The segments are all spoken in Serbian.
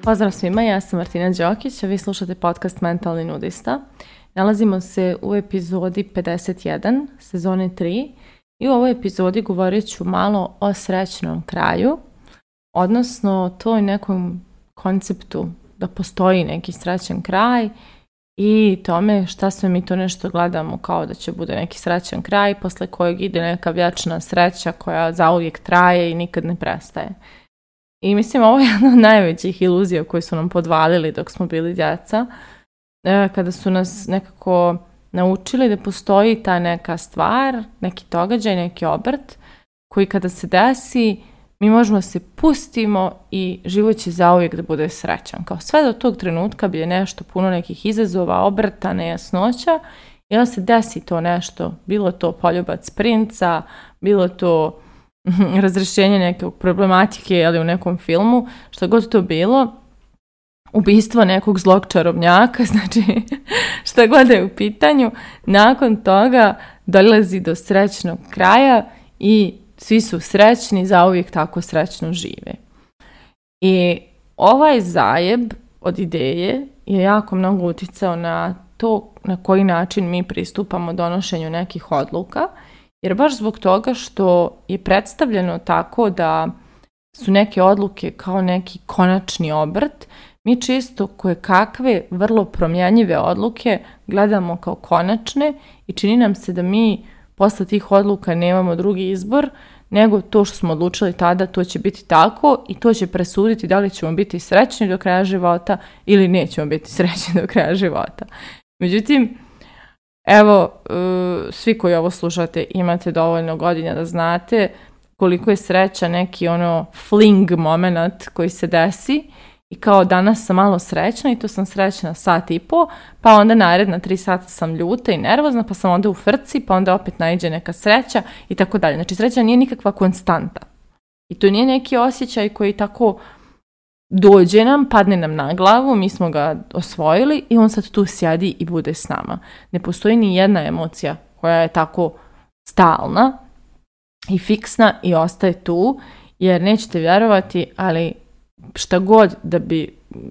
Pozdrav svima, ja sam Martina Đokić, a vi slušate podcast Mentalni nudista. Nalazimo se u epizodi 51, sezone 3 i u ovoj epizodi govorit ću malo o srećnom kraju, odnosno toj nekom konceptu da postoji neki srećan kraj i tome šta sve mi to nešto gledamo kao da će bude neki srećan kraj posle kojeg ide neka vječna sreća koja zauvijek traje i nikad ne prestaje. I mislim, ovo je jedna od najvećih iluzija koje su nam podvalili dok smo bili djeca, kada su nas nekako naučili da postoji ta neka stvar, neki događaj, neki obrt, koji kada se desi, mi možemo se pustimo i život će zauvijek da bude srećan. Kao sve do tog trenutka bi je nešto puno nekih izazova, obrta, nejasnoća i onda se desi to nešto, bilo to poljubac princa, bilo to razrešenje neke problematike ali u nekom filmu, što god to bilo, ubistvo nekog zlog čarobnjaka, znači šta god je u pitanju, nakon toga dolazi do srećnog kraja i svi su srećni, zauvijek tako srećno žive. I ovaj zajeb od ideje je jako mnogo uticao na to na koji način mi pristupamo donošenju nekih odluka, jer baš zbog toga što je predstavljeno tako da su neke odluke kao neki konačni obrt, mi čisto koje kakve vrlo promjenjive odluke gledamo kao konačne i čini nam se da mi posle tih odluka nemamo drugi izbor nego to što smo odlučili tada, to će biti tako i to će presuditi da li ćemo biti srećni do kraja života ili nećemo biti srećni do kraja života. Međutim, evo, svi koji ovo slušate imate dovoljno godina da znate koliko je sreća neki fling moment koji se desi i kao danas sam malo srećna i to sam srećna sat i po, pa onda naredna 3 sata sam ljuta i nervozna, pa sam onda u frci, pa onda opet naiđe neka sreća i tako dalje. Znači sreća nije nikakva konstanta i to nije neki osjećaj koji tako dođe nam, padne nam na glavu, mi smo ga osvojili i on sad tu sjedi i bude s nama. Ne postoji ni jedna emocija koja je tako stalna i fiksna i ostaje tu, jer nećete vjerovati, ali šta god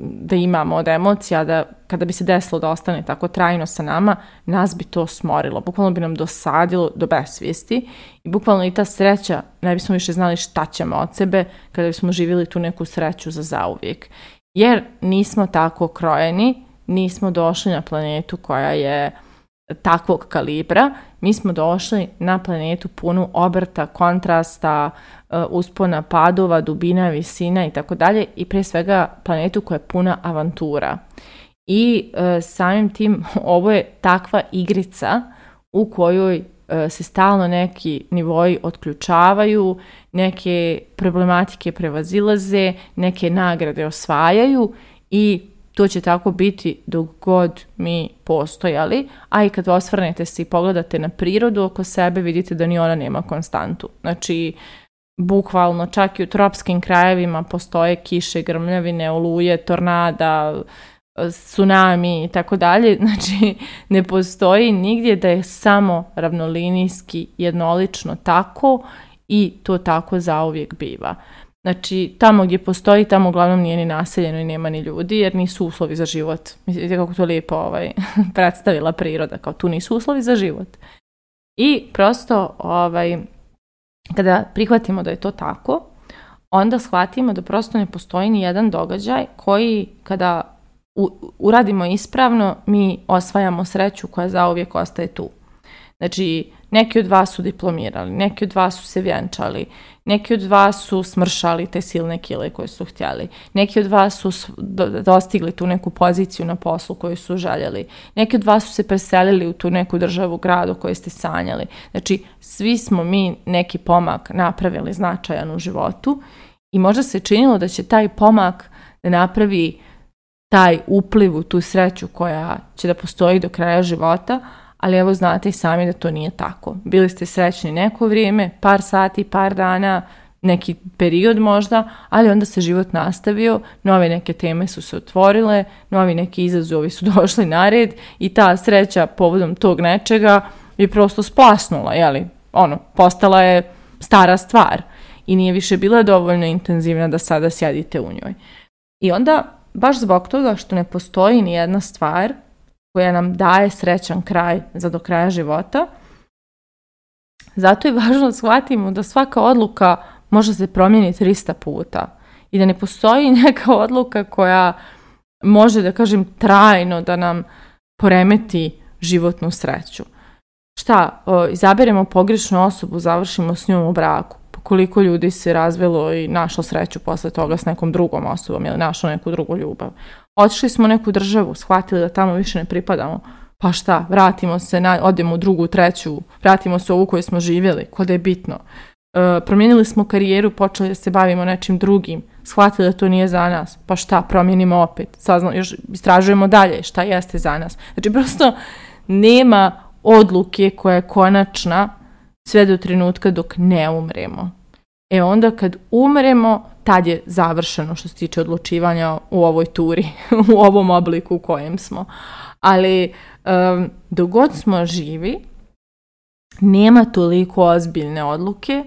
da imamo od emocija, da kada bi se desilo da ostane tako trajno sa nama, nas bi to smorilo. Bukvalno bi nam dosadilo do besvijesti i bukvalno i ta sreća, ne bismo više znali šta ćemo od sebe kada bismo živjeli tu neku sreću za zauvijek. Jer nismo tako krojeni, nismo došli na planetu koja je takvog kalibra, mi smo došli na planetu punu obrta, kontrasta, uspona, padova, dubina, visina i tako dalje i prije svega planetu koja je puna avantura. I samim tim ovo je takva igrica u kojoj se stalno neki nivoi otključavaju, neke problematike prevazilaze, neke nagrade osvajaju i to će tako biti dok god mi postojali, a i kad osvrnete se i pogledate na prirodu oko sebe, vidite da ni ona nema konstantu. Znači, bukvalno čak i u tropskim krajevima postoje kiše, grmljavine, oluje, tornada, tsunami i tako dalje. Znači, ne postoji nigdje da je samo ravnolinijski, jednolično tako i to tako zauvijek biva. Znači, tamo gdje postoji, tamo uglavnom nije ni naseljeno i nema ni ljudi, jer nisu uslovi za život. Mislite kako to lijepo predstavila priroda, kao tu nisu uslovi za život. I prosto, kada prihvatimo da je to tako, onda shvatimo da prosto ne postoji ni jedan događaj koji, kada uradimo ispravno, mi osvajamo sreću koja zauvijek ostaje tu. Znači, neki od vas su diplomirali, neki od vas su se vjenčali, neki od vas su smršali te silne kile koje su htjeli, neki od vas su dostigli tu neku poziciju na poslu koju su željeli, neki od vas su se preselili u tu neku državu, gradu koju ste sanjali. Znači, svi smo mi neki pomak napravili značajan u životu i možda se činilo da će taj pomak da napravi taj upliv u tu sreću koja će da postoji do kraja života, ali evo znate i sami da to nije tako. Bili ste srećni neko vrijeme, par sati, par dana, neki period možda, ali onda se život nastavio, nove neke teme su se otvorile, novi neki izazovi su došli na red i ta sreća povodom tog nečega je prosto splasnula, postala je stara stvar i nije više bila dovoljno intenzivna da sada sjedite u njoj. I onda, baš zbog toga što ne postoji ni jedna stvar koja nam daje srećan kraj za do kraja života, zato je važno da shvatimo da svaka odluka može se promijeniti 300 puta i da ne postoji neka odluka koja može, da kažem, trajno da nam poremeti životnu sreću. Izaberemo pogrešnu osobu, završimo s njom u braku. Koliko ljudi se razvelo i našlo sreću posle toga s nekom drugom osobom ili našlo neku drugu ljubav. Otišli smo u neku državu, shvatili da tamo više ne pripadamo. Pa šta, vratimo se, odemo u drugu, treću, vratimo se u ovu koju smo živjeli, ko da je bitno. Promijenili smo karijeru, počeli da se bavimo nečim drugim, shvatili da to nije za nas. Pa šta, promijenimo opet, još istražujemo dalje šta jeste za nas. Znači, prosto nema odluke koja je konačna sve do trenutka dok ne umremo. Onda kad umremo, tad je završeno što se tiče odlučivanja u ovoj turi, u ovom obliku u kojem smo. Ali dok god smo živi, nema toliko ozbiljne odluke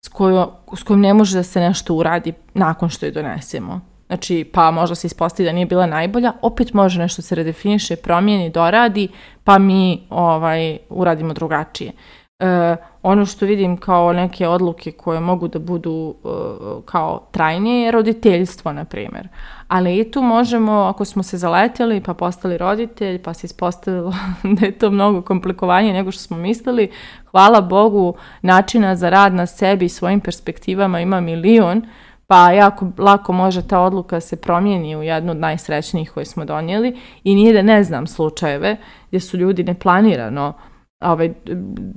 s kojom ne može da se nešto uradi nakon što je donesemo. Znači, pa možda se ispostavi da nije bila najbolja, opet može nešto se redefiniše, promijeni, doradi, pa mi uradimo drugačije. Ono što vidim kao neke odluke koje mogu da budu kao trajnije je roditeljstvo, na primjer. Ali i tu možemo, ako smo se zaletjeli pa postali roditelj, pa se ispostavilo da je to mnogo komplikovanije nego što smo mislili, hvala Bogu, načina za rad na sebi i svojim perspektivama ima milion, pa jako lako može ta odluka se promijeni u jednu od najsrećnijih koje smo donijeli i nije da ne znam slučajeve gdje su ljudi neplanirano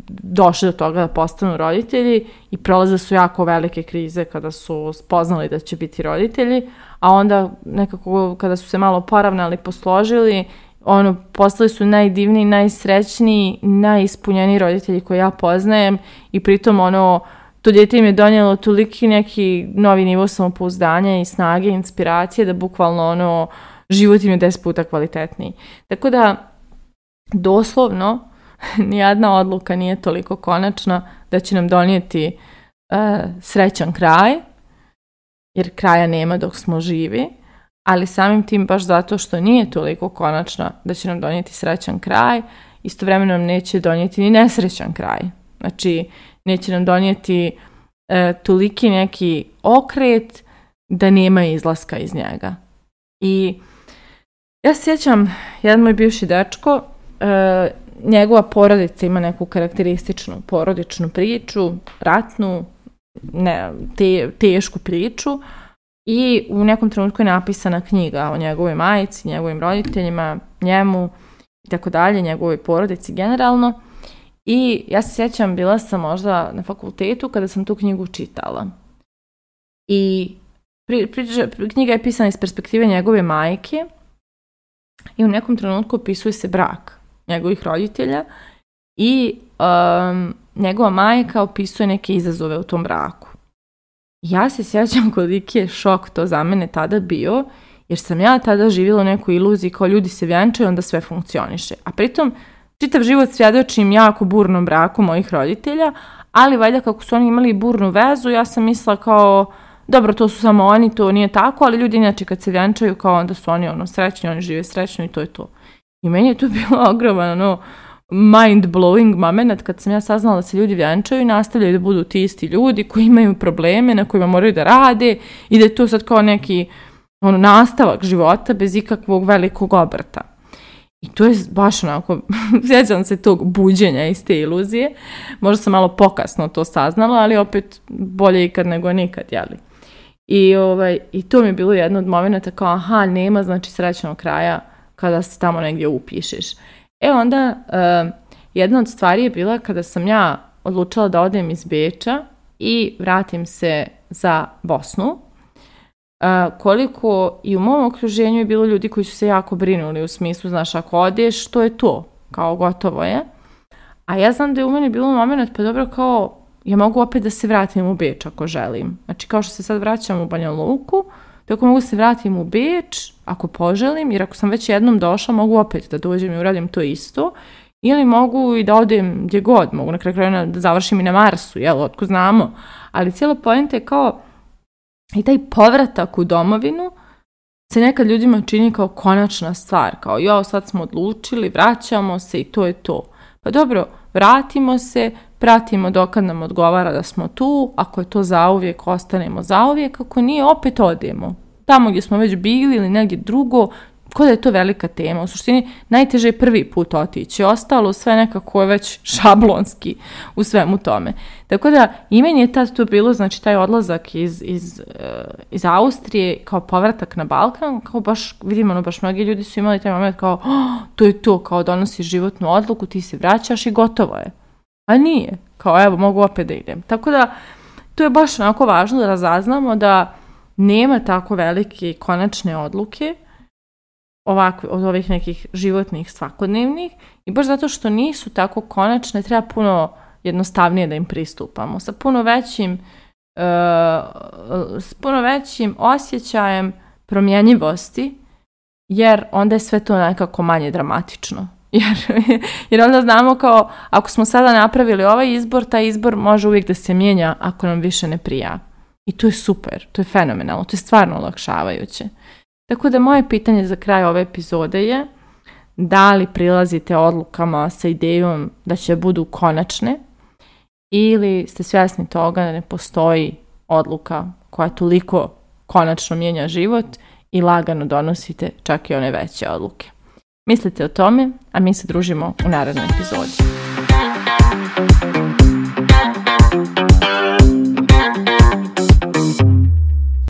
došli do toga da postanu roditelji i prolaze su jako velike krize kada su spoznali da će biti roditelji, a onda nekako kada su se malo poravnali, posložili, postali su najdivniji, najsrećniji, najispunjeniji roditelji koje ja poznajem i pritom to dijete im je donijelo toliki neki novi nivo samopouzdanja i snage, inspiracije da bukvalno život im je 10 puta kvalitetniji. Tako da doslovno nijedna odluka nije toliko konačna da će nam donijeti srećan kraj, jer kraja nema dok smo živi, ali samim tim baš zato što nije toliko konačna da će nam donijeti srećan kraj, istovremeno nam neće donijeti ni nesrećan kraj. Znači, neće nam donijeti toliki neki okret da nema izlaska iz njega. I ja se sjećam, jedan moj bivši dečko, njegova porodica ima neku karakterističnu porodičnu priču, ratnu, tešku priču i u nekom trenutku je napisana knjiga o njegovoj majici, njegovim roditeljima, njemu i tako dalje, njegovoj porodici generalno. I ja se sjećam, bila sam možda na fakultetu kada sam tu knjigu čitala. I knjiga je pisana iz perspektive njegove majke i u nekom trenutku opisuje se brak njegovih roditelja i njegova majka opisuje neke izazove u tom braku. Ja se sjećam koliki je šok to za mene tada bio, jer sam ja tada živjela u nekoj iluziji kao ljudi se vjenčaju, onda sve funkcioniše. A pritom čitav život svjedočim jako burnom braku mojih roditelja, ali valjda kako su oni imali burnu vezu, ja sam mislila kao, dobro, to su samo oni, to nije tako, ali ljudi inače kad se vjenčaju kao onda su oni srećni, oni žive srećno i to je to. I meni je to bilo ogroman mind-blowing moment kad sam ja saznala da se ljudi vjenčaju i nastavljaju da budu ti isti ljudi koji imaju probleme na kojima moraju da rade i da je to sad kao neki nastavak života bez ikakvog velikog obrta. I to je baš onako, sjećam se tog buđenja iz te iluzije. Možda sam malo pokasno to saznala, ali opet bolje ikad nego nikad, jeli? I to mi je bilo jedno od momenata kao, nema znači srećnog kraja kada se tamo negdje upišeš. Onda jedna od stvari je bila kada sam ja odlučila da odem iz Beča i vratim se za Bosnu. Koliko i u mom okruženju je bilo ljudi koji su se jako brinuli u smislu, znaš, ako odeš, to je to, kao gotovo je. A ja znam da je u meni bilo moment, pa dobro, kao, ja mogu opet da se vratim u Beč ako želim. Znači, kao što se sad vraćam u Banja Luku, tako mogu se vratim u Beč ako poželim, jer ako sam već jednom došla, mogu opet da dođem i uradim to isto. ili mogu i da odem gdje god, mogu na kraju krajeva da završim i na Marsu, otko znamo, ali cijela poenta je kao i taj povratak u domovinu se nekad ljudima čini kao konačna stvar, kao sad smo odlučili, vraćamo se i to je to. Pa dobro, vratimo se, pratimo dokad nam odgovara da smo tu, ako je to zauvijek, ostanemo zauvijek, ako nije, opet odemo. Tamo gdje smo već bili ili negdje drugo, kao da je to velika tema. U suštini, najteže je prvi put otići. Ostalo sve nekako je već šablonski u svemu tome. Tako da, i meni je tad to bilo, znači taj odlazak iz Austrije kao povratak na Balkan, kao baš, vidimo, baš mnogi ljudi su imali taj moment kao, to je to, kao donosiš životnu odluku, ti se vraćaš i gotovo je. A nije. Kao, evo, mogu opet da idem. Tako da, to je baš onako važno da razaznamo da nema tako velike konačne odluke od ovih nekih životnih svakodnevnih i baš zato što nisu tako konačne treba puno jednostavnije da im pristupamo sa puno većim osjećajem promjenjivosti, jer onda je sve to nekako manje dramatično. Jer onda znamo kao ako smo sada napravili ovaj izbor, taj izbor može uvijek da se mijenja ako nam više ne prija. I to je super, to je fenomenalno, to je stvarno olakšavajuće. Tako da moje pitanje za kraj ove epizode je da li prilazite odlukama sa idejom da će budu konačne ili ste svjesni toga da ne postoji odluka koja toliko konačno mijenja život i lagano donosite čak i one veće odluke. Mislite o tome, a mi se družimo u narednoj epizodi.